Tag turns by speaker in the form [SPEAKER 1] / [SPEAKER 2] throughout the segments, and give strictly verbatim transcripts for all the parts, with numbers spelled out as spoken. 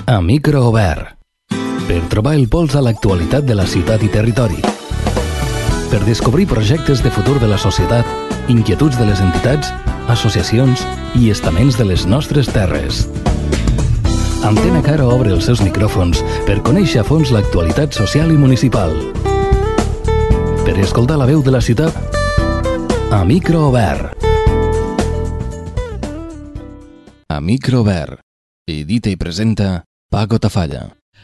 [SPEAKER 1] A micro obert. Per trobar el pols a l'actualitat de la ciutat i territori. Per descobrir projectes de futur de la societat, inquietuds de les entitats, associacions i estaments de les nostres terres. Antena Caro obre els seus micròfons per conèixer a fons l'actualitat social i municipal. Per escoltar la veu de la ciutat, a micro obert. A micro obert. Edita i presenta Paco Tafalla.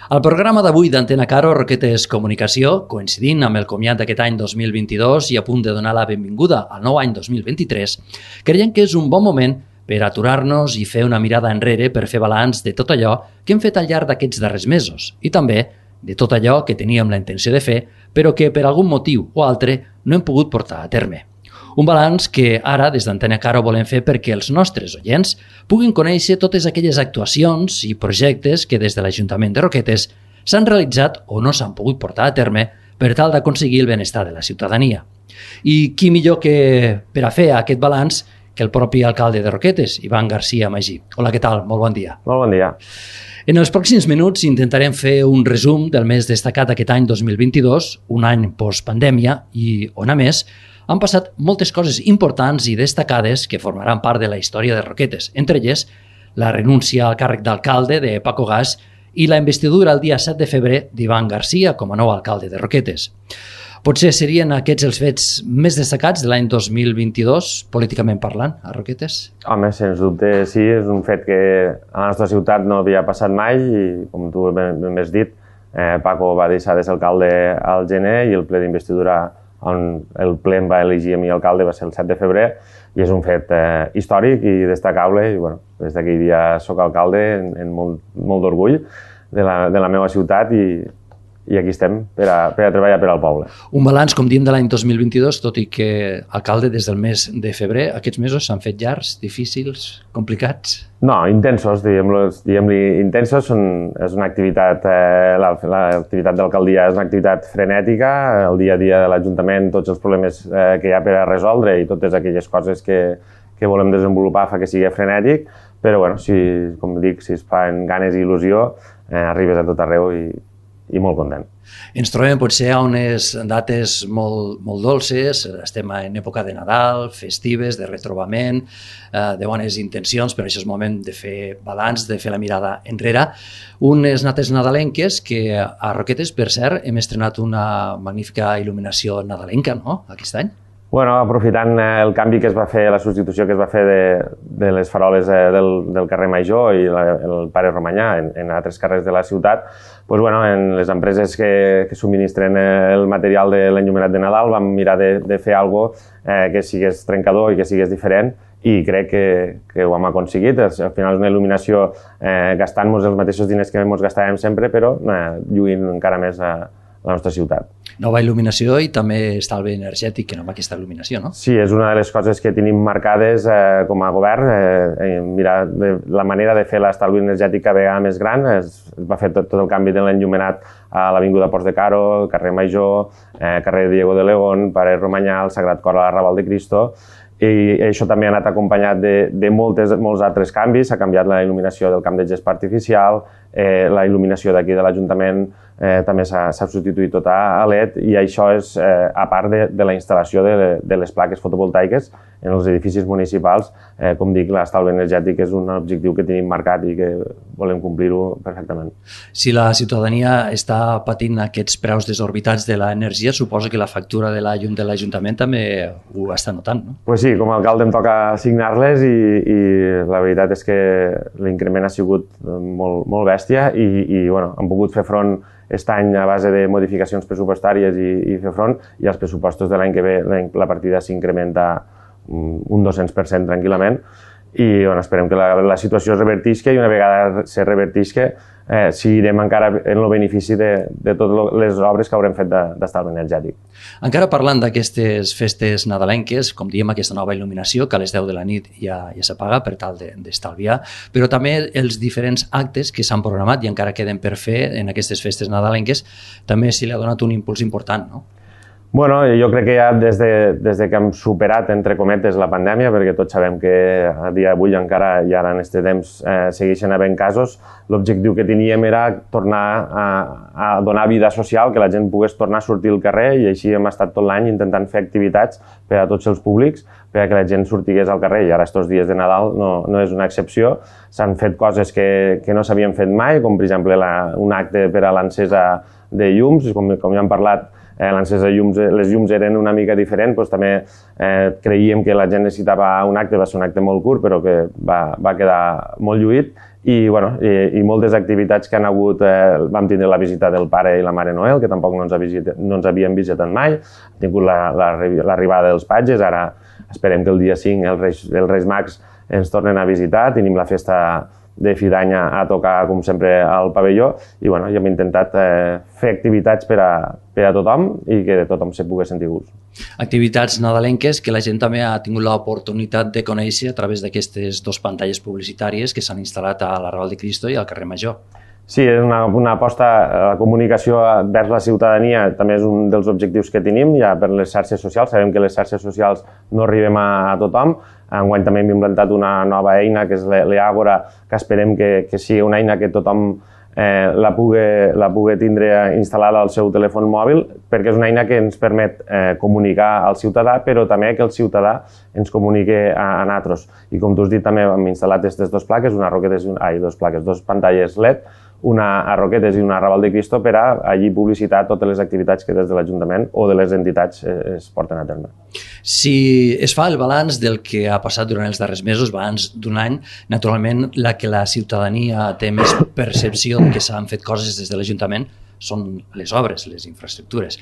[SPEAKER 2] Al programa d'avui d'Antena Caro, Roquetes Comunicació, coincidint amb el comiat d'aquest any dos mil vint-i-dos i a punt de donar la benvinguda al nou any dos mil vint-i-tres, creiem que és un bon moment per aturar-nos i fer una mirada enrere per fer balanç de tot allò que hem fet al llarg d'aquests darrers mesos i també de tot allò que teníem la intenció de fer però que per algun motiu o altre no hem pogut portar a terme. Un balanç que ara, des d'Antena Caro, volem fer perquè els nostres oients puguin conèixer totes aquelles actuacions i projectes que des de l'Ajuntament de Roquetes s'han realitzat o no s'han pogut portar a terme per tal d'aconseguir el benestar de la ciutadania. I qui millor que per a fer aquest balanç que el propi alcalde de Roquetes, Ivan García Magí. Hola, què tal? Molt bon dia.
[SPEAKER 3] Molt bon dia.
[SPEAKER 2] En els pròxims minuts intentarem fer un resum del més destacat d'aquest any dos mil vint-i-dos, un any post-pandèmia i on, a més, han passat moltes coses importants i destacades que formaran part de la història de Roquetes, entre elles la renúncia al càrrec d'alcalde de Paco Gas i la investidura el dia set de febrer d'Ivan García com a nou alcalde de Roquetes. Potser serien aquests els fets més destacats de l'any dos mil vint-i-dos, políticament parlant, a Roquetes?
[SPEAKER 3] Home, sens dubte sí, és un fet que a la nostra ciutat no havia passat mai i, com tu ben has dit, eh, Paco va deixar de ser alcalde al gener i el ple d'investidura on el ple em va elegir a mi alcalde va ser el set de febrer i és un fet eh, històric i destacable i bueno, des d'aquell dia soc alcalde en, en molt, molt d'orgull de la, de la meva ciutat i, i aquí estem per a, per a treballar per al poble.
[SPEAKER 2] Un balanç, com diem, de l'any dos mil vint-i-dos, tot i que alcalde des del mes de febrer, aquests mesos s'han fet llargs, difícils, complicats?
[SPEAKER 3] No, intensos, diguem-li, diguem intensos, són, és una activitat, eh, l'activitat d'alcaldia és una activitat frenètica, el dia a dia de l'Ajuntament, tots els problemes eh, que hi ha per a resoldre i totes aquelles coses que, que volem desenvolupar fa que sigui frenètic, però bueno, si, com dic, si es fan ganes i il·lusió, eh, arribes a tot arreu i, i molt content.
[SPEAKER 2] Ens trobem potser a unes dates molt, molt dolces, estem en època de Nadal, festives, de retrobament, eh, de bones intencions, però això és moment de fer balanç, de fer la mirada enrere. Unes dates nadalenques que a Roquetes, per cert, hem estrenat una magnífica il·luminació nadalenca, no?, aquest any.
[SPEAKER 3] Bueno, aprofitant el canvi que es va fer, la substitució que es va fer de, de les faroles del, del carrer Major i la, el Pare Romanyà en, en altres carrers de la ciutat, doncs, bueno, en les empreses que, que subministren el material de l'enllumenat de Nadal vam mirar de, de fer alguna cosa eh, que sigués trencador i que sigués diferent i crec que, que ho hem aconseguit. Al final és una il·luminació eh, gastant-nos els mateixos diners que ens gastàvem sempre, però eh, lluint encara més a la nostra ciutat.
[SPEAKER 2] Nova il·luminació i també estalvi energètic amb aquesta il·luminació, no?
[SPEAKER 3] Sí, és una de les coses que tenim marcades eh, com a govern. Eh, mirar de, la manera de fer l'estalvi energètic cada vegada més gran. Es, es va fer tot, tot el canvi de l'enllumenat a l'Avinguda Ports de Caro, el carrer Major, eh, carrer Diego de León, Pare Romanyà, el Sagrat Cor a la Raval de Cristo. I això també ha anat acompanyat de, de moltes, molts altres canvis. S'ha canviat la il·luminació del camp de gespa artificial, eh, la il·luminació d'aquí de l'Ajuntament eh, també s'ha substituït tota a L E D i això és eh, a part de, de la instal·lació de, de les plaques fotovoltaiques en els edificis municipals. Eh, com dic, l'estalvi energètic és un objectiu que tenim marcat i que volem complir-ho perfectament.
[SPEAKER 2] Si la ciutadania està patint aquests preus desorbitats de l'energia, suposo que la factura de la llum de l'Ajuntament també ho està notant, no?
[SPEAKER 3] Pues sí, com a alcalde em toca assignar-les i, i la veritat és que l'increment ha sigut molt, molt bèstia i, i bueno, hem pogut fer front aquest any a base de modificacions pressupostàries i, i fer front i els pressupostos de l'any que ve la partida s'incrementa un dos-cents per cent tranquil·lament i bueno, esperem que la, la situació es revertisca i una vegada se revertisca eh, seguirem encara en el benefici de, de totes les obres que haurem fet d'estalvi energètic.
[SPEAKER 2] Encara parlant d'aquestes festes nadalenques, com diem, aquesta nova il·luminació que a les deu de la nit ja, ja s'apaga per tal d'estalviar, de, però també els diferents actes que s'han programat i encara queden per fer en aquestes festes nadalenques, també s'hi ha donat un impuls important, no?
[SPEAKER 3] Bueno, jo crec que ja des de, des de que hem superat, entre cometes, la pandèmia, perquè tots sabem que a dia d'avui encara i ara en aquest temps eh, segueixen havent casos, l'objectiu que teníem era tornar a, a donar vida social, que la gent pogués tornar a sortir al carrer, i així hem estat tot l'any intentant fer activitats per a tots els públics, perquè la gent sortigués al carrer, i ara estos dies de Nadal no, no és una excepció. S'han fet coses que, que no s'havien fet mai, com per exemple la, un acte per a l'encesa de llums, com, com ja hem parlat, Eh, l'encesa de llums, les llums eren una mica diferents, doncs també eh, creiem que la gent necessitava un acte, va ser un acte molt curt, però que va, va quedar molt lluït, i, bueno, i, i moltes activitats que han hagut, eh, vam tindre la visita del pare i la mare Noel, que tampoc no ens, visita, no ens havien visitat mai, hem tingut l'arribada la, la, dels patges, ara esperem que el dia cinc els Reis, els Reis Mags ens tornen a visitar, tenim la festa de fi d'any a tocar, com sempre, al pavelló, i bueno, ja hem intentat eh, fer activitats per a, per a tothom i que tothom se pugui sentir gust.
[SPEAKER 2] Activitats nadalenques que la gent també ha tingut l'oportunitat de conèixer a través d'aquestes dues pantalles publicitàries que s'han instal·lat a l'Arrabal de Cristo i al carrer Major.
[SPEAKER 3] Sí, és una, una aposta, la comunicació vers la ciutadania també és un dels objectius que tenim, ja per les xarxes socials. Sabem que les xarxes socials no arribem a, a tothom. Enguany també hem implantat una nova eina, que és l'Eàgora, que esperem que, que sigui una eina que tothom eh, la, pugui, la pugui tindre instal·lada al seu telèfon mòbil, perquè és una eina que ens permet eh, comunicar al ciutadà, però també que el ciutadà ens comunique a, a nosaltres. I com tu has dit, també hem instal·lat aquestes dues plaques, una Roquetes i una, ai, dues plaques, dues pantalles L E D, una a Roquetes i una a Arrabal de Cristo, per a allí publicitar totes les activitats que des de l'Ajuntament o de les entitats es porten a terme.
[SPEAKER 2] Si es fa el balanç del que ha passat durant els darrers mesos, balanç d'un any, naturalment la que la ciutadania té més percepció que s'han fet coses des de l'Ajuntament són les obres, les infraestructures.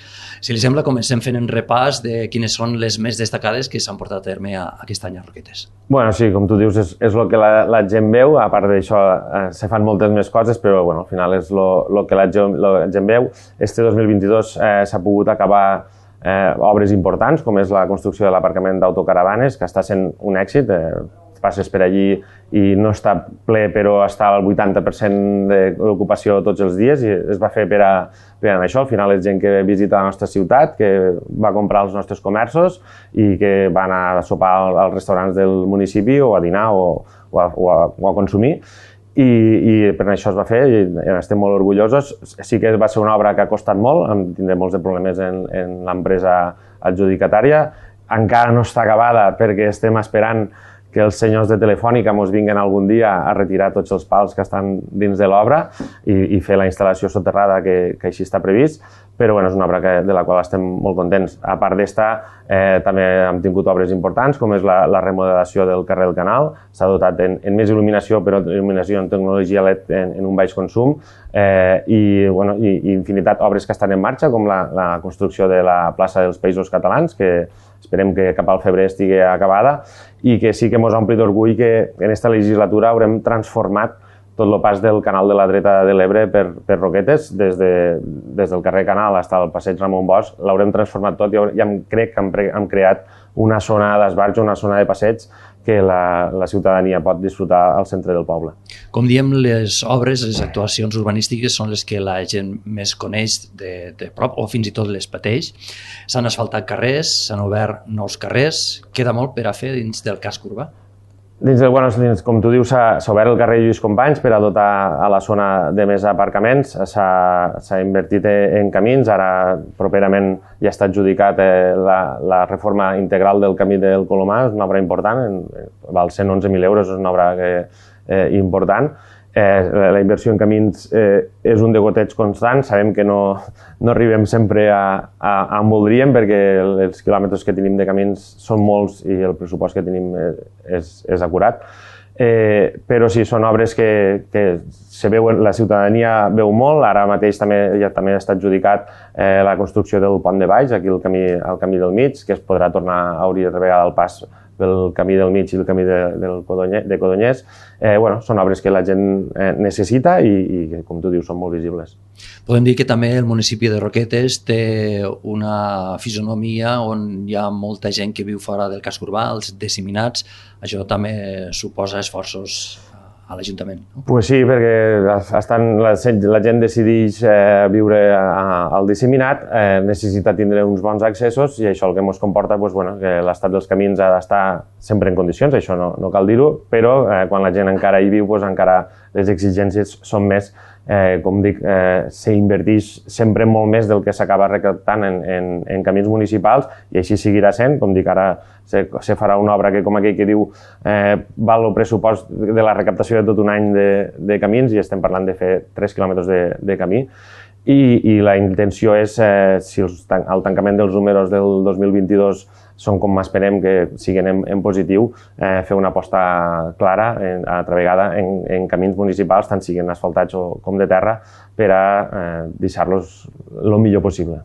[SPEAKER 2] Si li sembla, comencem fent un repàs de quines són les més destacades que s'han portat a terme a, aquest any a Roquetes.
[SPEAKER 3] Bueno, sí, com tu dius, és, és el que la, la gent veu. A part d'això, eh, se fan moltes més coses, però bueno, al final és el que la gent, la gent veu. Este dos mil vint-i-dos eh, s'ha pogut acabar eh, obres importants, com és la construcció de l'aparcament d'autocaravanes, que està sent un èxit. Eh, passes per allí i no està ple, però està al vuitanta per cent de l'ocupació tots els dies, i es va fer per a, per a això. Al final és gent que visita la nostra ciutat, que va comprar als nostres comerços i que va anar a sopar als restaurants del municipi o a dinar o, o, a, o, a, o a consumir. I, i per això es va fer i estem molt orgullosos. Sí que va ser una obra que ha costat molt, hem tindrem molts de problemes en, en l'empresa adjudicatària. Encara no està acabada perquè estem esperant que els senyors de Telefònica ens vinguin algun dia a retirar tots els pals que estan dins de l'obra i, i fer la instal·lació soterrada que, que així està previst, però bueno, és una obra que, de la qual estem molt contents. A part d'esta, eh, també hem tingut obres importants, com és la, la remodelació del carrer del Canal. S'ha dotat en, en més il·luminació, però il·luminació en tecnologia L E D en, en un baix consum, eh, i, bueno, i, i infinitat obres que estan en marxa, com la, la construcció de la plaça dels Països Catalans, que esperem que cap al febrer estigui acabada, i que sí que ens ompli d'orgull que en aquesta legislatura haurem transformat tot el pas del canal de la dreta de l'Ebre per, per Roquetes, des, de, des del carrer Canal fins al passeig Ramon Bosch, l'haurem transformat tot i ja crec que hem, hem creat una zona d'esbarjo, una zona de passeig que la, la ciutadania pot disfrutar al centre del poble.
[SPEAKER 2] Com diem, les obres, les actuacions urbanístiques són les que la gent més coneix de, de prop o fins i tot les pateix. S'han asfaltat carrers, s'han obert nous carrers, queda molt per a fer dins del casc urbà?
[SPEAKER 3] Dins del, bueno, dins, com tu dius, s'ha obert el carrer Lluís Companys per a dotar a la zona de més aparcaments, s'ha invertit en camins, ara properament ja està adjudicat eh, la, la reforma integral del camí del Colomar, és una obra important, en, val cent onze mil euros, és una obra que, eh, important. Eh, la inversió en camins eh, és un degoteig constant, sabem que no, no arribem sempre a, a, a on voldríem perquè els quilòmetres que tenim de camins són molts i el pressupost que tenim és, és acurat. Eh, però sí, són obres que, que se veuen, la ciutadania veu molt. Ara mateix també, ja, també està adjudicat eh, la construcció del pont de Baix, aquí el camí, el camí del mig, que es podrà tornar a obrir de vegada el pas pel camí del mig i el camí de, del Codonyer, de Codonyers. Eh, bueno, són obres que la gent eh, necessita i, i, com tu dius, són molt visibles.
[SPEAKER 2] Podem dir que també el municipi de Roquetes té una fisonomia on hi ha molta gent que viu fora del casc urbà, els disseminats. Això també suposa esforços a l'Ajuntament. No?
[SPEAKER 3] Pues sí, perquè estan, la, la gent decideix eh, viure a, al disseminat, eh, necessita tindre uns bons accessos i això el que ens comporta pues, bueno, que l'estat dels camins ha d'estar sempre en condicions, això no, no cal dir-ho, però eh, quan la gent encara hi viu, pues, encara les exigències són més. Eh, com dic, eh, s'inverteix sempre molt més del que s'acaba recaptant en, en, en camins municipals i així seguirà sent. Com dic, ara se, se farà una obra que, com aquell que diu, eh, val el pressupost de la recaptació de tot un any de, de camins i estem parlant de fer tres quilòmetres de, de camí. I, i la intenció és, eh, si els, el tancament dels números del dos mil vint-i-dos són com esperem que siguin en, en positiu, eh, fer una aposta clara, en, altra vegada, en, en camins municipals, tant siguin asfaltats o, com de terra, per a eh, deixar-los el millor possible.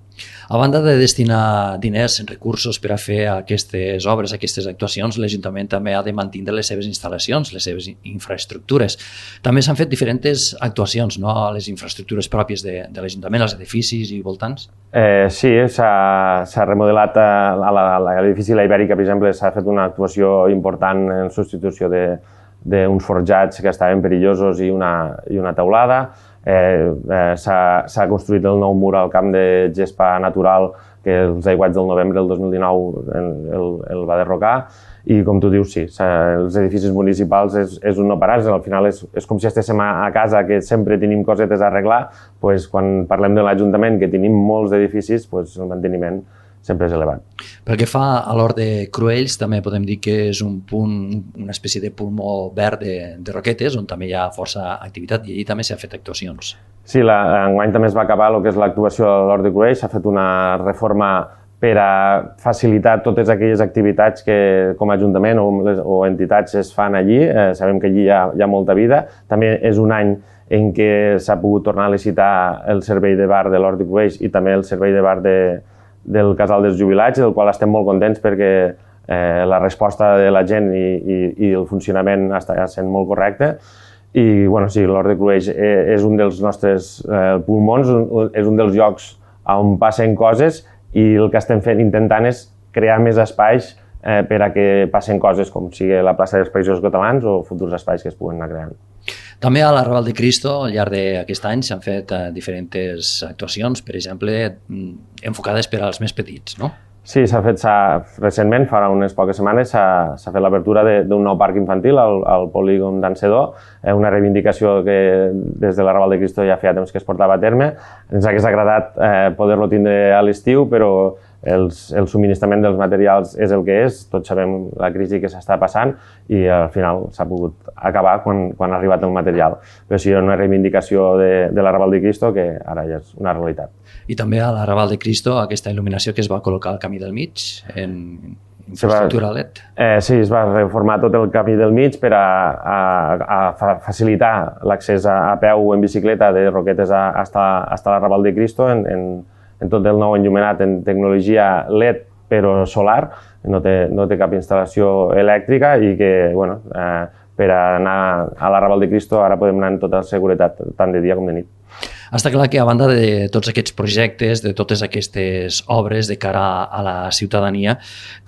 [SPEAKER 2] A banda de destinar diners, recursos per a fer aquestes obres, aquestes actuacions, l'Ajuntament també ha de mantenir les seves instal·lacions, les seves infraestructures. També s'han fet diferents actuacions, no?, a les infraestructures pròpies de, de l'Ajuntament, als edificis i voltants.
[SPEAKER 3] Eh, sí, s'ha remodelat a, a l'edifici La Ibèrica, per exemple, s'ha fet una actuació important en substitució d'uns forjats que estaven perillosos i una, i una teulada. Eh, eh, s'ha construït el nou mur al camp de gespa natural que els aiguats del novembre del dos mil dinou el, el, el va derrocar i com tu dius, sí, els edificis municipals és, és un no parar, al final és, és com si estéssim a, a casa que sempre tenim cosetes a arreglar, pues, quan parlem de l'Ajuntament que tenim molts edificis, pues, el manteniment sempre és elevat.
[SPEAKER 2] Pel que fa a l'Hort de Cruells, també podem dir que és un punt, una espècie de pulmó verd de, de Roquetes, on també hi ha força activitat i allí també s'ha fet actuacions.
[SPEAKER 3] Sí, la, enguany també es va acabar el que és l'actuació a l'Hort de Cruells, s'ha fet una reforma per a facilitar totes aquelles activitats que com a Ajuntament o, les, o entitats es fan allí. Eh, sabem que allí hi ha, hi ha molta vida. També és un any en què s'ha pogut tornar a licitar el servei de bar de l'Hort de Cruells i també el servei de bar de del Casal dels Jubilats, del qual estem molt contents perquè eh, la resposta de la gent i, i, i el funcionament està sent molt correcte. I bueno, sí, l'Hort de Cruells és un dels nostres eh, pulmons, és un dels llocs on passen coses i el que estem fent intentant és crear més espais eh, per a que passen coses com sigui la plaça dels Països Catalans o futurs espais que es puguen anar creant.
[SPEAKER 2] També a l'Arrabal de Cristo, al llarg d'aquest any, s'han fet eh, diferents actuacions, per exemple, enfocades per als més petits, no?
[SPEAKER 3] Sí, s'ha fet recentment, fa unes poques setmanes, s'ha fet l'apertura d'un nou parc infantil al, al polígon d'Encedó, eh, una reivindicació que des de l'Arrabal de Cristo ja feia temps que es portava a terme. Ens hagués agradat eh, poder-lo tindre a l'estiu, però els, el subministrament dels materials és el que és, tots sabem la crisi que s'està passant i al final s'ha pogut acabar quan, quan ha arribat el material. Però sí, una reivindicació de, de l'Arrabal de Cristo que ara ja és una realitat.
[SPEAKER 2] I també a l'Arrabal de Cristo aquesta il·luminació que es va col·locar al camí del mig en infraestructura L E D.
[SPEAKER 3] Eh, sí, es va reformar tot el camí del mig per a, a, a facilitar l'accés a, a peu o en bicicleta de Roquetes a, hasta, hasta l'Arrabal de Cristo en, en, en tot el nou enllumenat en tecnologia L E D però solar, no té, no té cap instal·lació elèctrica i que, bueno, eh, per anar a l'Arrabal de Cristo ara podem anar amb tota seguretat, tant de dia com de nit.
[SPEAKER 2] Està clar que a banda de tots aquests projectes, de totes aquestes obres de cara a la ciutadania,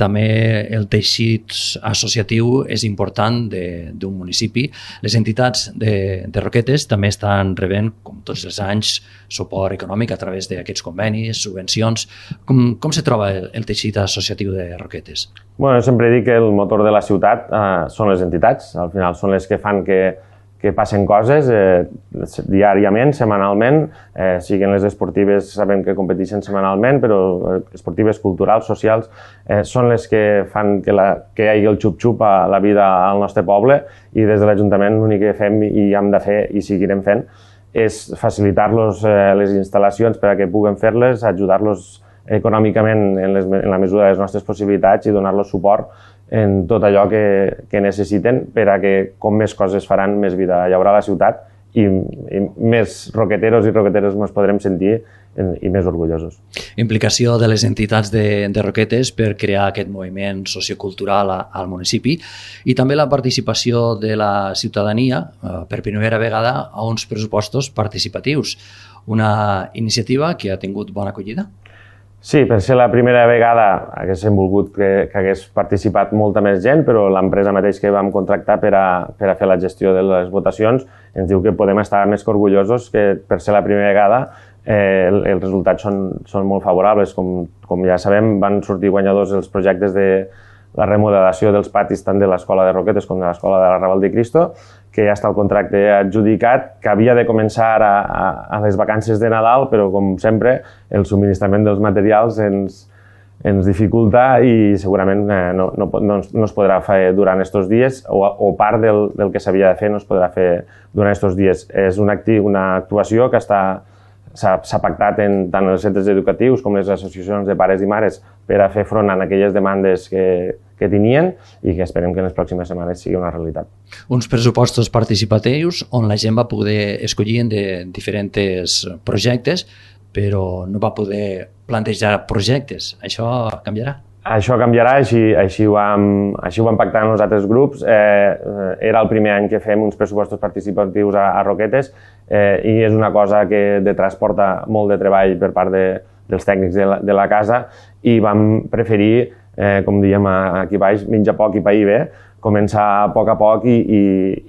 [SPEAKER 2] també el teixit associatiu és important d'un municipi. Les entitats de, de Roquetes també estan rebent, com tots els anys, suport econòmic a través d'aquests convenis, subvencions. Com, com se troba el, el teixit associatiu de Roquetes?
[SPEAKER 3] Bueno, sempre dic que el motor de la ciutat eh, són les entitats. Al final són les que fan que que passen coses eh, diàriament, setmanalment, eh, siguin les esportives, sabem que competeixen setmanalment, però esportives, culturals, socials, eh, són les que fan que, la, que hi hagi el xup-xup a la vida al nostre poble i des de l'Ajuntament l'únic que fem i hem de fer i seguirem fent és facilitar-los eh, les instal·lacions per a que puguen fer-les, ajudar-los econòmicament en, les, en la mesura de les nostres possibilitats i donar-los suport en tot allò que, que necessiten per a que com més coses faran, més vida hi haurà a la ciutat i, i més roqueteros i roqueteres ens podrem sentir en, i més orgullosos.
[SPEAKER 2] Implicació de les entitats de, de Roquetes per crear aquest moviment sociocultural a, al municipi i també la participació de la ciutadania eh, per primera vegada a uns pressupostos participatius. Una iniciativa que ha tingut bona acollida?
[SPEAKER 3] Sí, per ser la primera vegada haguéssim volgut que, que hagués participat molta més gent, però l'empresa mateix que vam contractar per a, per a fer la gestió de les votacions ens diu que podem estar més que orgullosos que per ser la primera vegada eh, els resultats són, són molt favorables. Com, com ja sabem, van sortir guanyadors els projectes de la remodelació dels patis tant de l'Escola de Roquetes com de l'Escola de la Raval de Cristo, que ja està el contracte adjudicat, que havia de començar a, a, a les vacances de Nadal, però com sempre el subministrament dels materials ens, ens dificulta i segurament eh, no, no, no, no es podrà fer durant aquests dies o, o part del, del que s'havia de fer no es podrà fer durant aquests dies. És una, una actuació que està s'ha pactat en tant els centres educatius com les associacions de pares i mares per a fer front a aquelles demandes que, que tenien i que esperem que en les pròximes setmanes sigui una realitat.
[SPEAKER 2] Uns pressupostos participatius on la gent va poder escollir de diferents projectes, però no va poder plantejar projectes. Això canviarà?
[SPEAKER 3] Això canviarà, així, així, ho vam, així ho vam pactar amb els altres grups. Eh, era el primer any que fem uns pressupostos participatius a, a Roquetes eh, i és una cosa que de transporta molt de treball per part de, dels tècnics de la, de la casa i vam preferir, eh, com diem aquí baix, menjar poc i pair bé, començar a poc a poc i, i,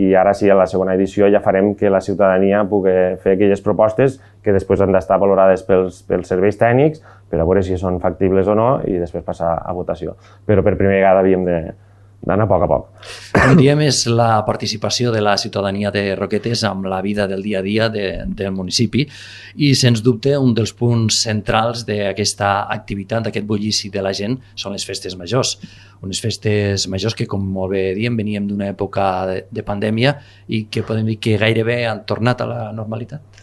[SPEAKER 3] i ara sí, a la segona edició ja farem que la ciutadania pugui fer aquelles propostes que després han d'estar valorades pels, pels serveis tècnics per a veure si són factibles o no i després passar a votació. Però per primera vegada havíem d'anar a poc a poc.
[SPEAKER 2] Com diem, és la participació de la ciutadania de Roquetes amb la vida del dia a dia de, del municipi i, sens dubte, un dels punts centrals d'aquesta activitat, d'aquest bullici de la gent, són les festes majors. Unes festes majors que, com molt bé diem, veníem d'una època de, de pandèmia i que podem dir que gairebé han tornat a la normalitat.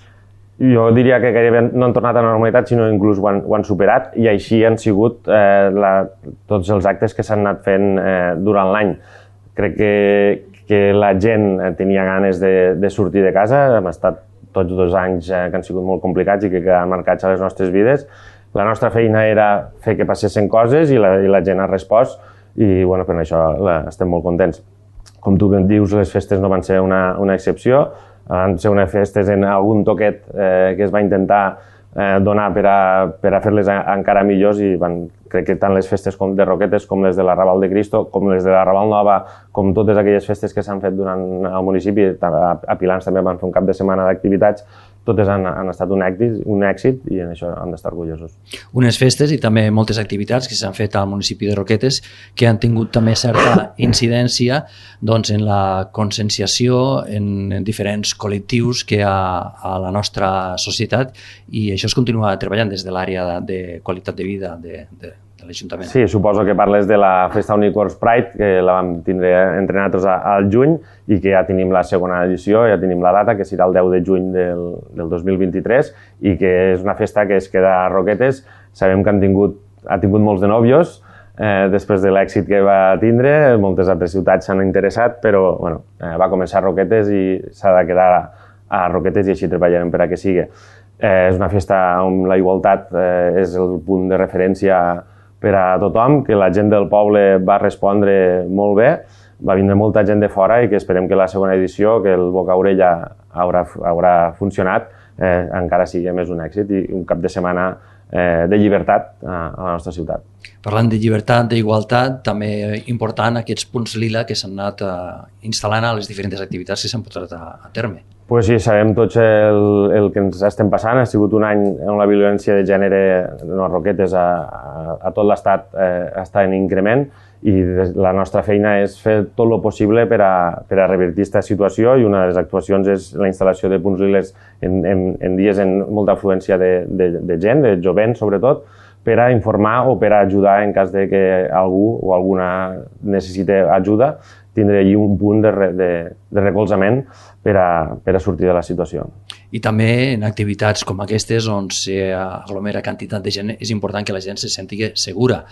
[SPEAKER 3] Jo diria que gairebé no han tornat a la normalitat, sinó inclús ho han, ho han superat i així han sigut eh, la, tots els actes que s'han anat fent eh, durant l'any. Crec que, que la gent tenia ganes de, de sortir de casa, hem estat tots dos anys eh, que han sigut molt complicats i que quedaran marcats a les nostres vides. La nostra feina era fer que passessin coses i la, i la gent ha respost i bueno, per això la, estem molt contents. Com tu dius, les festes no van ser una, una excepció, van ser unes festes en algun toquet eh, que es va intentar eh, donar per a, per a fer-les encara millors i van, crec que tant les festes com de Roquetes com les de la Raval de Cristo, com les de la Raval Nova, com totes aquelles festes que s'han fet durant el municipi, a, a Pilans també van fer un cap de setmana d'activitats, totes han, han estat un èxit, un èxit i en això hem d'estar orgullosos.
[SPEAKER 2] Unes festes i també moltes activitats que s'han fet al municipi de Roquetes que han tingut també certa incidència doncs, en la conscienciació en, en diferents col·lectius que hi ha a la nostra societat i això es continua treballant des de l'àrea de, de qualitat de vida de, de, de l'Ajuntament.
[SPEAKER 3] Sí, suposo que parles de la Festa Unicorns Pride, que la vam tindre entre nosaltres al juny i que ja tenim la segona edició, ja tenim la data, que serà el deu de juny del, del dos mil vint-i-tres i que és una festa que es queda a Roquetes. Sabem que han tingut, ha tingut molts de nòvios eh, després de l'èxit que va tindre, moltes altres ciutats s'han interessat, però bueno, eh, va començar a Roquetes i s'ha de quedar a Roquetes i així treballarem per a que sigui. Eh, és una festa on la igualtat eh, és el punt de referència per a tothom, que la gent del poble va respondre molt bé, va vindre molta gent de fora i que esperem que la segona edició, que el boca-orella haurà, haurà funcionat, eh, encara sigui més un èxit i un cap de setmana eh, de llibertat a, a la nostra ciutat.
[SPEAKER 2] Parlant de llibertat, d'igualtat, també important aquests punts lila que s'han anat eh, instal·lant a les diferents activitats que s'han portat a, a terme.
[SPEAKER 3] Pues sí, sabem tots el, el que ens estem passant. Ha sigut un any on la violència de gènere no, a Roquetes a, a, a tot l'estat eh, està en increment i la nostra feina és fer tot el possible per a, per a revertir aquesta situació i una de les actuacions és la instal·lació de punts liles en, en, en dies amb molta afluència de, de, de gent, de jovent sobretot, per a informar o per a ajudar en cas de que algú o alguna necessite ajuda, tindre allí un punt de, de, de recolzament per a, per a sortir de la situació.
[SPEAKER 2] I també en activitats com aquestes on s'aglomera quantitat de gent és important que la gent se senti segura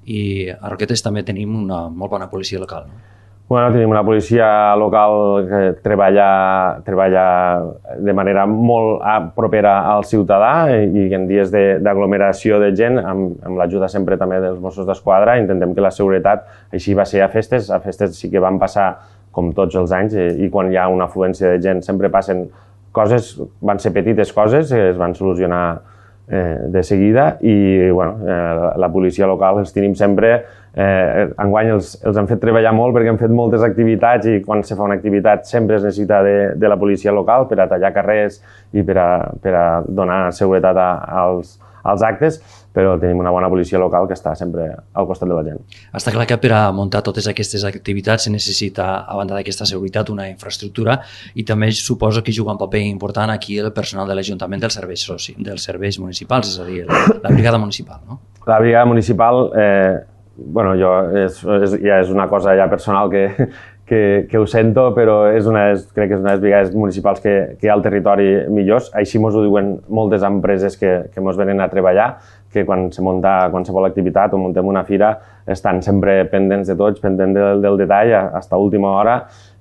[SPEAKER 2] i a Roquetes també tenim una molt bona policia local. No?
[SPEAKER 3] Bueno, tenim una policia local que treballa, treballa de manera molt propera al ciutadà i en dies d'aglomeració de, de gent, amb, amb l'ajuda sempre també dels Mossos d'Esquadra, intentem que la seguretat, així va ser a festes, a festes sí que van passar com tots els anys i quan hi ha una afluència de gent sempre passen coses, van ser petites coses, es van solucionar eh, de seguida i bueno, eh, la policia local els tenim sempre. Eh, enguany els, els han fet treballar molt perquè han fet moltes activitats i quan se fa una activitat sempre es necessita de, de la policia local per a tallar carrers i per a, per a donar seguretat a, als, als actes, però tenim una bona policia local que està sempre al costat de la gent.
[SPEAKER 2] Està clar que per a muntar totes aquestes activitats se necessita, a banda d'aquesta seguretat, una infraestructura i també suposo que juga un paper important aquí el personal de l'Ajuntament dels serveis, dels serveis municipals, és a dir, la, la brigada municipal, no?
[SPEAKER 3] La brigada municipal, eh, bueno, jo, és, és, ja és una cosa ja personal que, que, que ho sento, però és una, és, crec que és una de les brigades municipals que, que hi ha al territori millors. Així mos ho diuen moltes empreses que, que mos venen a treballar, que quan se munta qualsevol activitat o muntem una fira estan sempre pendents de tots, pendents del, del detall fins a última hora,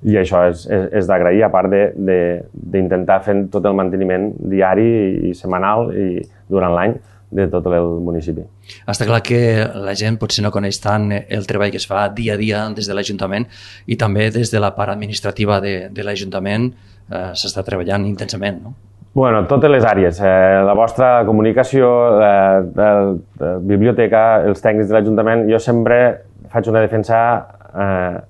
[SPEAKER 3] i això és, és, és d'agrair, a part d'intentar fer tot el manteniment diari i setmanal i durant l'any de tot el municipi.
[SPEAKER 2] Està clar que la gent potser no coneix tant el treball que es fa dia a dia des de l'Ajuntament i també des de la part administrativa de, de l'Ajuntament eh, s'està treballant intensament, no?
[SPEAKER 3] Bueno, totes les àrees. Eh, la vostra comunicació, eh, la, la biblioteca, els tècnics de l'Ajuntament, jo sempre faig una defensa eh,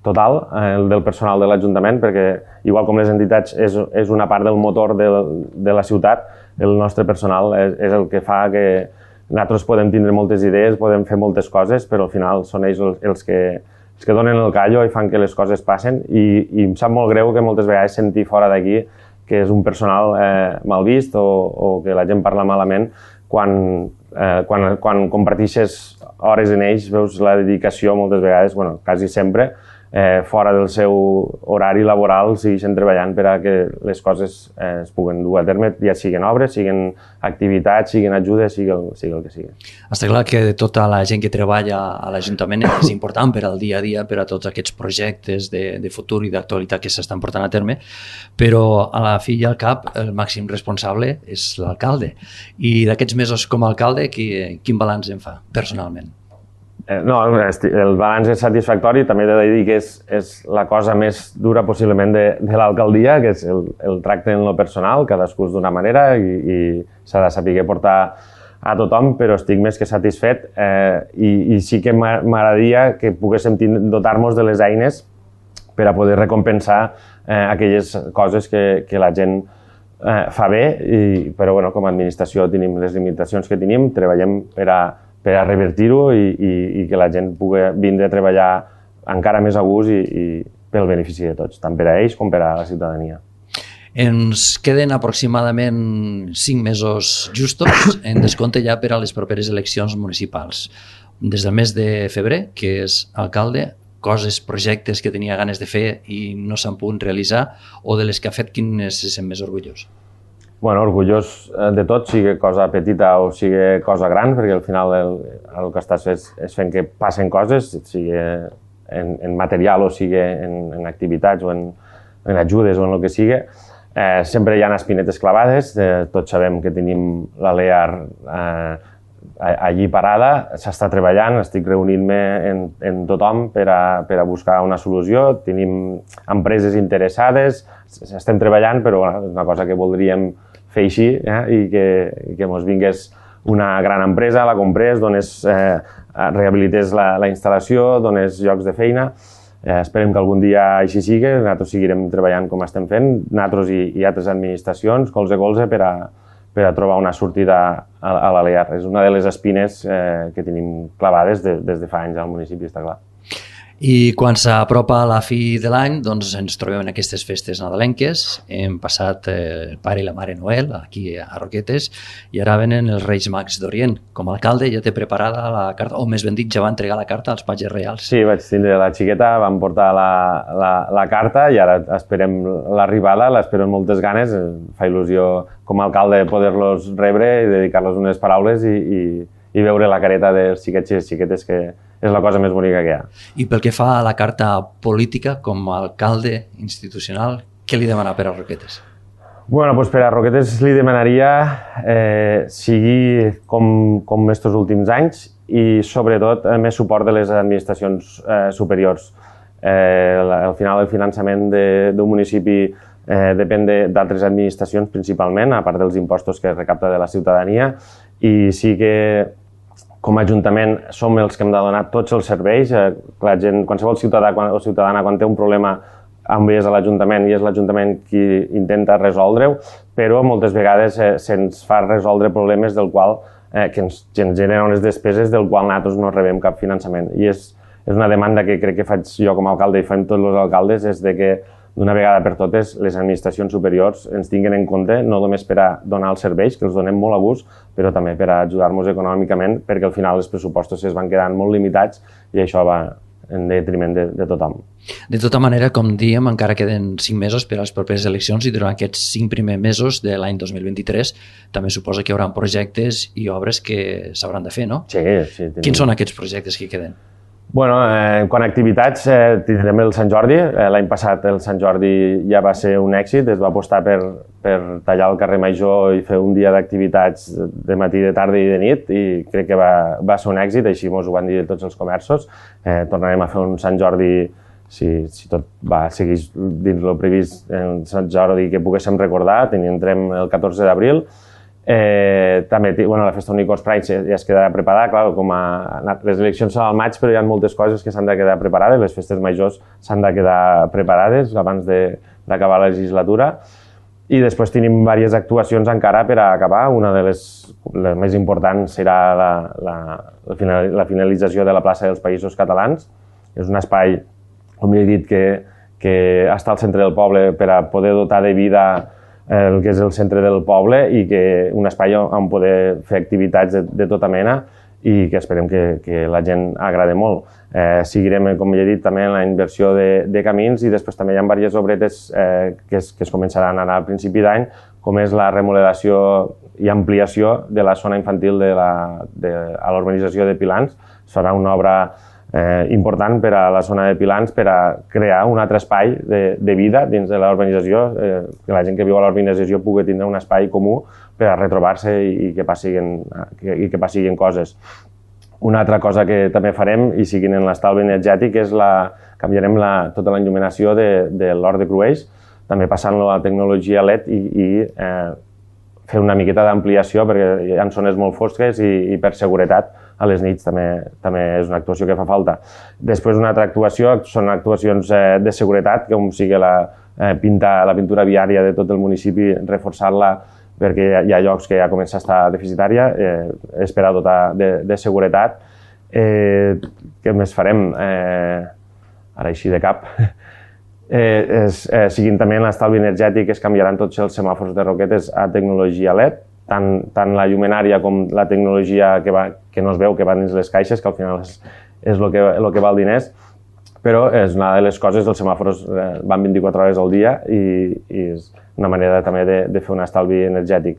[SPEAKER 3] total eh, del personal de l'Ajuntament, perquè igual com les entitats és, és una part del motor de, de la ciutat, el nostre personal és, és el que fa que nosaltres podem tindre moltes idees, podem fer moltes coses, però al final són ells els, els, que, els que donen el callo i fan que les coses passen i, i em sap molt greu que moltes vegades sentir fora d'aquí que és un personal eh, mal vist o, o que la gent parla malament quan, eh, quan, quan comparteixes hores en ells, veus la dedicació moltes vegades, bueno, quasi sempre, eh, fora del seu horari laboral segueixen treballant per a que les coses eh, es puguen dur a terme, ja siguin obres, siguin activitats, siguin ajudes, sigui el, sigui el que sigui.
[SPEAKER 2] Està clar que tota la gent que treballa a l'Ajuntament és important per al dia a dia, per a tots aquests projectes de, de futur i d'actualitat que s'estan portant a terme, però a la fi i al cap el màxim responsable és l'alcalde. I d'aquests mesos com a alcalde, qui, quin balanç en fa personalment?
[SPEAKER 3] No, el balanç és satisfactori, també he de dir que és, és la cosa més dura possiblement de, de l'alcaldia, que és el, el tracte en lo personal, cadascú és d'una manera i, i s'ha de saber portar a tothom, però estic més que satisfet eh, i, i sí que m'agradaria que poguéssim dotar-nos de les eines per a poder recompensar eh, aquelles coses que, que la gent eh, fa bé, i, però bueno, com a administració tenim les limitacions que tenim, treballem per a per a revertir-ho i, i, i que la gent pugui vindre a treballar encara més a gust i, i pel benefici de tots, tant per a ells com per a la ciutadania.
[SPEAKER 2] Ens queden aproximadament cinc mesos justos en descompte ja per a les properes eleccions municipals. Des del mes de febrer, que és alcalde, coses, projectes que tenia ganes de fer i no s'han pogut realitzar o de les que ha fet quin se sent més orgullós?
[SPEAKER 3] Bueno, orgullós de tot, sigui cosa petita o sigui cosa gran, perquè al final el, el que estàs és, és fent que passen coses, sigui en, en material o sigui en, en activitats o en, en ajudes o en el que sigui. Eh, sempre hi ha espinetes clavades, eh, tots sabem que tenim la Lear eh, allí parada, s'està treballant, estic reunint-me en, en tothom per a, per a buscar una solució, tenim empreses interessades, estem treballant, però bueno, és una cosa que voldríem fer així eh, i que, i que ens vingués una gran empresa, la comprés, dones, eh, rehabilités la, la instal·lació, dones llocs de feina. Eh, esperem que algun dia així sigui, nosaltres seguirem treballant com estem fent, nosaltres i, i altres administracions, colze a colze, per a, per a trobar una sortida a, a la Lear. És una de les espines eh, que tenim clavades de, des de fa anys al municipi, està clar.
[SPEAKER 2] I quan s'apropa la fi de l'any, doncs ens trobem en aquestes festes nadalenques. Hem passat eh, el pare i la mare Noel aquí a Roquetes i ara venen els Reis Mags d'Orient. Com a alcalde ja té preparada la carta, o més ben dit, ja va entregar la carta als patges reals.
[SPEAKER 3] Sí, vaig tindre la xiqueta, vam portar la, la, la carta i ara esperem l'arribada, l'espero amb moltes ganes. Fa il·lusió com a alcalde poder-los rebre i dedicar-los unes paraules i, i, i veure la careta dels xiquets i les xiquetes, que és la cosa més bonica que hi ha.
[SPEAKER 2] I pel que fa a la carta política, com a alcalde institucional, què li demana per a Roquetes?
[SPEAKER 3] Bueno, doncs per a Roquetes li demanaria eh, sigui com, com estos últims anys i sobretot més suport de les administracions eh, superiors. Eh, al final el finançament d'un municipi eh, depèn d'altres administracions principalment, a part dels impostos que recapta de la ciutadania, i sí que com a Ajuntament som els que hem de donar tots els serveis. Eh, la gent, qualsevol ciutadà o ciutadana quan té un problema envies a l'Ajuntament i és l'Ajuntament qui intenta resoldre-ho, però moltes vegades eh, se'ns fa resoldre problemes del qual, eh, que ens, ens generen unes despeses del qual nosaltres no rebem cap finançament. I és, és una demanda que crec que faig jo com a alcalde i fem tots els alcaldes, és de que d'una vegada per totes les administracions superiors ens tinguin en compte, no només per a donar els serveis, que els donem molt a gust, però també per a ajudar-nos econòmicament, perquè al final els pressupostos es van quedant molt limitats i això va en detriment de, de tothom.
[SPEAKER 2] De tota manera, com dèiem, encara queden cinc mesos per a les properes eleccions i durant aquests cinc primers mesos de l'any dos mil vint-i-tres també suposa que hi haurà projectes i obres que s'hauran de fer, no?
[SPEAKER 3] Sí, sí. Tenim...
[SPEAKER 2] Quins són aquests projectes que queden?
[SPEAKER 3] Bueno, eh, quant a activitats, eh, tindrem el Sant Jordi. Eh, L'any passat el Sant Jordi ja va ser un èxit, es va apostar per, per tallar el carrer Major i fer un dia d'activitats de matí, de tarda i de nit, i crec que va, va ser un èxit, així ens ho van dir tots els comerços. Eh, tornarem a fer un Sant Jordi, si, si tot va seguir dins el previst, un Sant Jordi que poguéssim recordar, tindrem el catorze d'abril. Eh, també, bueno, la festa Unicorns Pride ja es quedarà preparada, clar, com a, les eleccions són al maig, però hi ha moltes coses que s'han de quedar preparades, les festes majors s'han de quedar preparades abans d'acabar la legislatura, i després tenim diverses actuacions encara per a acabar. Una de les, les més importants serà la, la, la finalització de la plaça dels Països Catalans. És un espai, com he dit, que, que està al centre del poble per a poder dotar de vida el que és el centre del poble, i que un espai on poder fer activitats de, de tota mena i que esperem que, que la gent agrade molt. Eh, seguirem, com ja he dit, també en la inversió de, de camins, i després també hi ha diverses obretes eh, que, es, que es començaran ara al principi d'any, com és la remodelació i ampliació de la zona infantil de la, de, a la urbanització de Pilans. Serà una obra Eh, important per a la zona de Pilans, per a crear un altre espai de, de vida dins de la urbanització, eh, que la gent que viu a la urbanització pugui tindre un espai comú per a retrobar-se i, i que passin, que, i que passin coses. Una altra cosa que també farem, i siguin en l'estalvi energètic, és la, canviarem la, tota la il·luminació de, de l'Hort de Crueix, també passant-lo a tecnologia L E D i, i eh, fer una miqueta d'ampliació, perquè hi ha zones molt fosques i, i per seguretat a les nits també, també és una actuació que fa falta. Després, una altra actuació són actuacions eh, de seguretat, com sigui la, eh, pintar la pintura viària de tot el municipi, reforçar-la, perquè hi ha llocs que ja comença a estar deficitària, eh, és per a dotar de, de seguretat. Eh, què més farem? Eh, ara així de cap. Eh, és, eh, siguin també en l'estalvi energètic, es canviaran tots els semàfors de Roquetes a tecnologia L E D, tant, tant la llumenària com la tecnologia que, va, que no es veu, que va dins les caixes, que al final és, és el, que, el que val diners, però és una de les coses, els semàfors eh, van vint-i-quatre hores al dia i, i és una manera també de, de fer un estalvi energètic.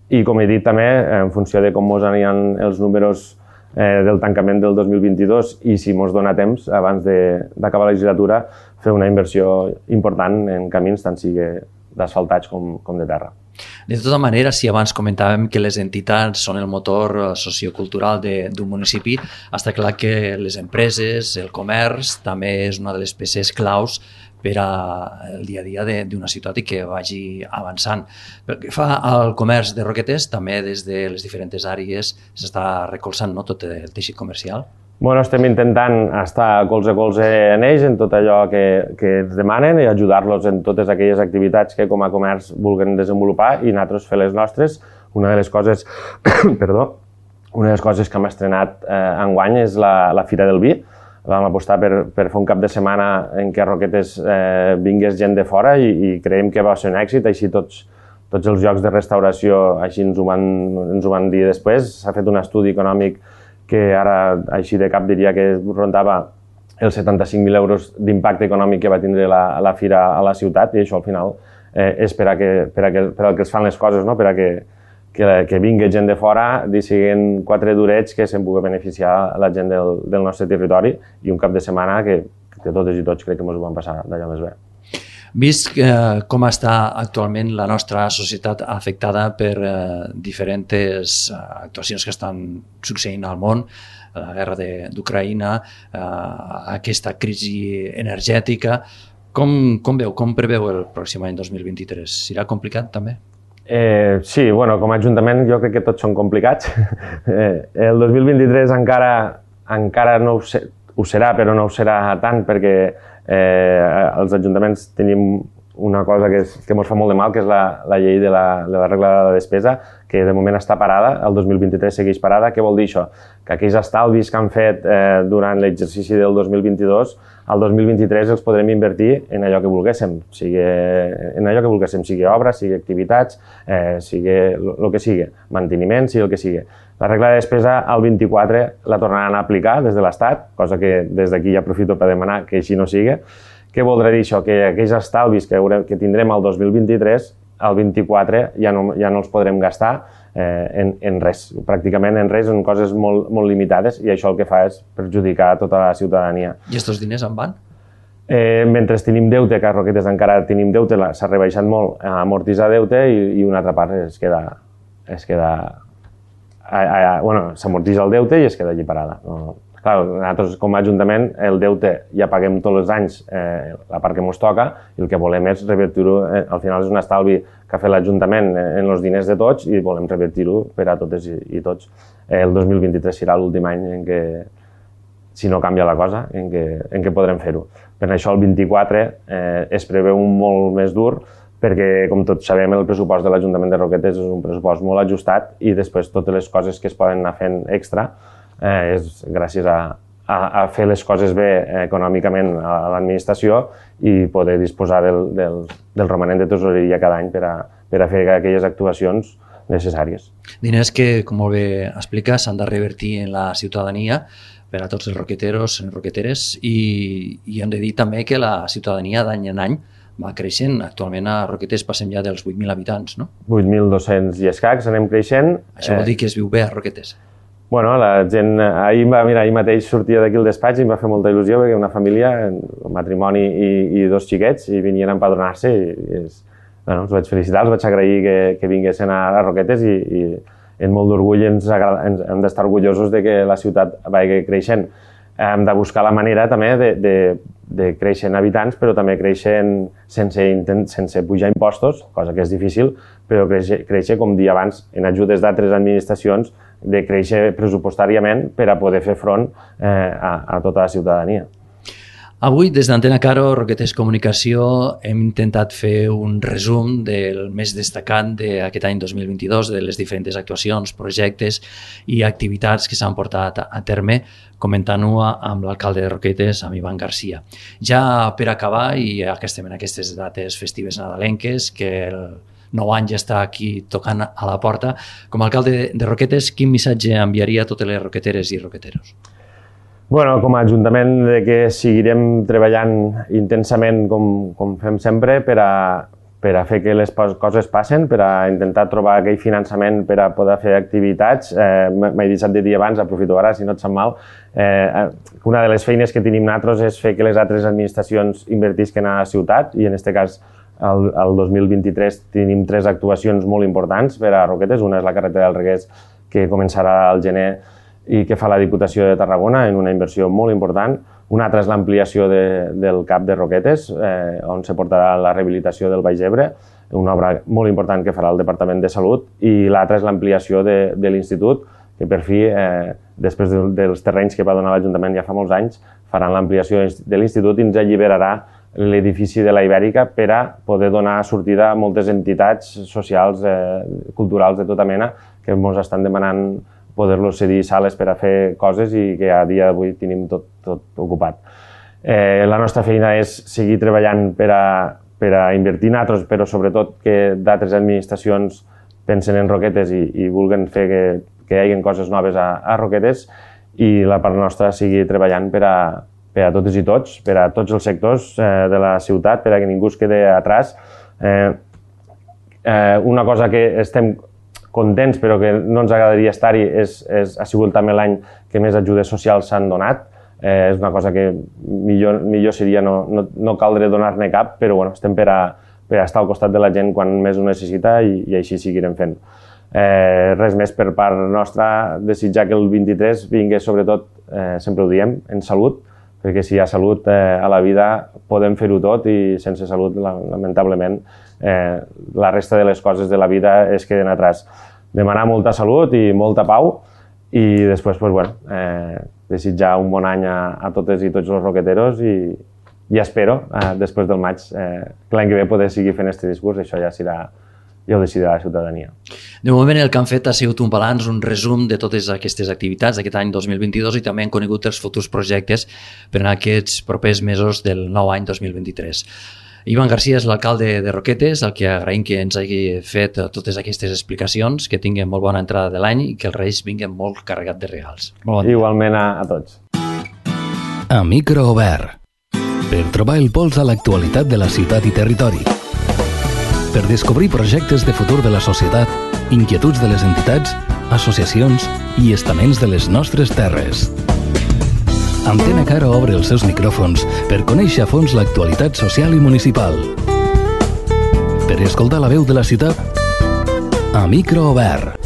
[SPEAKER 3] I com he dit també, en funció de com ens aniran els números eh, del tancament del dos mil vint-i-dos i si ens dona temps, abans d'acabar la legislatura, fer una inversió important en camins, tant sigui d'asfaltats com, com de terra.
[SPEAKER 2] De tota manera, si abans comentàvem que les entitats són el motor sociocultural d'un municipi, està clar que les empreses, el comerç, també és una de les peces claus per al dia a dia d'una ciutat i que vagi avançant. Pel que fa al comerç de Roquetes, també des de les diferents àrees s'està recolzant, no, tot el teixit comercial?
[SPEAKER 3] Bueno, estem intentant estar colze a colze en ells, en tot allò que, que ens demanen, i ajudar-los en totes aquelles activitats que com a comerç vulguin desenvolupar i nosaltres fer les nostres. Una de les coses, perdó, una de les coses que hem estrenat eh, enguany és la, la Fira del Vi. Vam apostar per, per fer un cap de setmana en què a Roquetes eh, vingués gent de fora i, i creiem que va ser un èxit, així tots, tots els llocs de restauració així ens ho van, ens ho van dir després. S'ha fet un estudi econòmic que ara, així de cap, diria que rondava els setanta-cinc mil euros d'impacte econòmic que va tindre la, la fira a la ciutat, i això al final eh, és per a que, per a que, per a que es fan les coses, no? Per a que, que, que vingui gent de fora, siguin quatre durets que se'n pugui beneficiar la gent del, del nostre territori, i un cap de setmana que, que totes i tots crec que ens ho van passar d'allò més bé.
[SPEAKER 2] Vist eh, com està actualment la nostra societat afectada per eh, diferents eh, actuacions que estan succeint al món, la guerra d'Ucraïna, eh, aquesta crisi energètica, Com, com veu, com preveu el pròxim any dos mil vint-i-tres? Serà complicat també?
[SPEAKER 3] Eh, sí, bueno, com a Ajuntament jo crec que tots són complicats. eh, el dos mil vint-i-tres encara, encara no ho, sé, ho serà, però no ho serà tant perquè eh, els ajuntaments tenim una cosa que, és, que ens fa molt de mal, que és la, la llei de la, de la regla de la despesa, que de moment està parada, el dos mil vint-i-tres segueix parada. Què vol dir això? Que aquells estalvis que han fet eh, durant l'exercici del dos mil vint-i-dos, al dos mil vint-i-tres els podrem invertir en allò que volguéssim, sigui, en allò que volguéssim, sigui obres, sigui activitats, eh, sigui el que sigui, manteniment, sigui el que sigui. La regla de despesa al vint-i-quatre la tornaran a aplicar des de l'Estat, cosa que des d'aquí ja aprofito per demanar que així no sigui. Què voldrà dir això? Que aquells estalvis que, haurem, que tindrem al dos mil vint-i-tres, al vint-i-quatre ja no, ja no els podrem gastar eh, en, en res, pràcticament en res, en coses molt, molt limitades, i això el que fa és perjudicar tota la ciutadania.
[SPEAKER 2] I aquests diners en van?
[SPEAKER 3] Eh, mentre tenim deute, que a Roquetes encara tenim deute, s'ha rebaixat molt a amortitzar deute i, i una altra part es queda... Es queda a, a, bueno, s'amortitza el deute i es queda allí parada. No? Clar, nosaltres com a Ajuntament el deute ja paguem tots els anys eh, la part que ens toca i el que volem és revertir-ho, eh, al final és un estalvi que ha fet l'Ajuntament en els diners de tots i volem revertir-ho per a totes i, i tots. Eh, el dos mil vint-i-tres serà l'últim any en què, si no canvia la cosa, en què, en què podrem fer-ho. Per això el vint-i-quatre eh, es preveu un molt més dur perquè, com tots sabem, el pressupost de l'Ajuntament de Roquetes és un pressupost molt ajustat i després totes les coses que es poden anar fent extra Eh, és gràcies a, a, a fer les coses bé eh, econòmicament a, a l'administració i poder disposar del, del, del romanent de tesoreria cada any per a, per a fer aquelles actuacions necessàries.
[SPEAKER 2] Diners que, com molt bé explica, s'han de revertir en la ciutadania per a tots els roqueteros i roqueteres i, i hem de dir també que la ciutadania d'any en any va creixent. Actualment a Roquetes passem ja dels vuit mil habitants, no?
[SPEAKER 3] vuit mil dos-cents i escacs, anem creixent.
[SPEAKER 2] Això vol dir que es viu bé a Roquetes.
[SPEAKER 3] Bueno, la gent, ahir, mira, ahir mateix sortia d'aquí al despatx i em va fer molta il·lusió perquè una família, un matrimoni i, i dos xiquets, i venien a empadronar-se i, i és, bueno, els vaig felicitar, els vaig agrair que, que vinguessin a, a Roquetes i, i en molt d'orgull ens, ens hem d'estar orgullosos de que la ciutat vagi creixent. Hem de buscar la manera també de, de, de créixer en habitants, però també créixer sense, sense pujar impostos, cosa que és difícil, però créixer, créixer com dir abans, en ajudes d'altres administracions, de créixer pressupostàriament per a poder fer front eh, a, a tota la ciutadania.
[SPEAKER 2] Avui, des d'Antena Caro, Roquetes Comunicació, hem intentat fer un resum del més destacat d'aquest any dos mil vint-i-dos, de les diferents actuacions, projectes i activitats que s'han portat a terme, comentant-ho amb l'alcalde de Roquetes, amb Ivan Garcia. Ja per acabar, i ja que estem en aquestes dates festives nadalenques, que el nou any ja està aquí tocant a la porta, com a alcalde de Roquetes, quin missatge enviaria a totes les roqueteres i roqueteros?
[SPEAKER 3] Bueno, com a Ajuntament de que seguirem treballant intensament com, com fem sempre per a, per a fer que les coses passen, per a intentar trobar aquell finançament per a poder fer activitats. Eh, M'he deixat de dir abans, aprofito ara, si no et sap mal, eh, una de les feines que tenim nosaltres és fer que les altres administracions invertisquen a la ciutat i en aquest cas el, el dos mil vint-i-tres tenim tres actuacions molt importants per a Roquetes. Una és la carretera del Reguers, que començarà al gener i que fa la Diputació de Tarragona en una inversió molt important. Una altra és l'ampliació de, del CAP de Roquetes, eh, on se portarà la rehabilitació del Baix Ebre, una obra molt important que farà el Departament de Salut, i l'altra és l'ampliació de, de l'Institut, que per fi, eh, després de, dels terrenys que va donar l'Ajuntament ja fa molts anys, faran l'ampliació de l'Institut i ens alliberarà l'edifici de la Ibèrica per a poder donar sortida a moltes entitats socials, eh, culturals de tota mena, que ens estan demanant poder-los cedir sales per a fer coses i que a dia d'avui tenim tot, tot ocupat. Eh, la nostra feina és seguir treballant per a, per a invertir en altres, però sobretot que d'altres administracions pensen en Roquetes i, i vulguin fer que, que hi hagi coses noves a, a Roquetes, i la part nostra sigui treballant per a, per a totes i tots, per a tots els sectors eh, de la ciutat, per a que ningú es quedi atràs. Eh, eh, una cosa que estem contents però que no ens agradaria estar-hi és, és, ha sigut també l'any que més ajudes socials s'han donat. Eh, és una cosa que millor, millor seria no, no, no caldre donar-ne cap, però bueno, estem per a, per a estar al costat de la gent quan més ho necessita i, i així seguirem fent. Eh, res més per part nostra, desitjar que el vint-i-tres vingui sobretot, eh, sempre ho diem, en salut, perquè si hi ha salut eh, a la vida podem fer-ho tot i sense salut, lamentablement, eh, la resta de les coses de la vida es queden atrás. Demanar molta salut i molta pau i després, pues, bueno, eh, desitjar un bon any a, a totes i tots els roqueteros i, i espero, eh, després del maig, eh, que l'any que ve poder seguir fent aquest discurs, això ja serà, ja ho decidirà la ciutadania.
[SPEAKER 2] De moment el que han fet ha sigut un balanç, un resum de totes aquestes activitats d'aquest any dos mil vint-i-dos i també han conegut els futurs projectes per a aquests propers mesos del nou any dos mil vint-i-tres. Ivan Garcia és l'alcalde de Roquetes, al que agraïm que ens hagi fet totes aquestes explicacions, que tinguin molt bona entrada de l'any i que els Reis vinguin molt carregats de regals.
[SPEAKER 3] Bon Igualment a, a tots.
[SPEAKER 1] A micro obert. Per trobar el pols a l'actualitat de la ciutat i territori. Per descobrir projectes de futur de la societat, inquietuds de les entitats, associacions i estaments de les nostres terres. Antena Caro obre els seus micròfons per conèixer a fons l'actualitat social i municipal. Per escoltar la veu de la ciutat, a micro obert.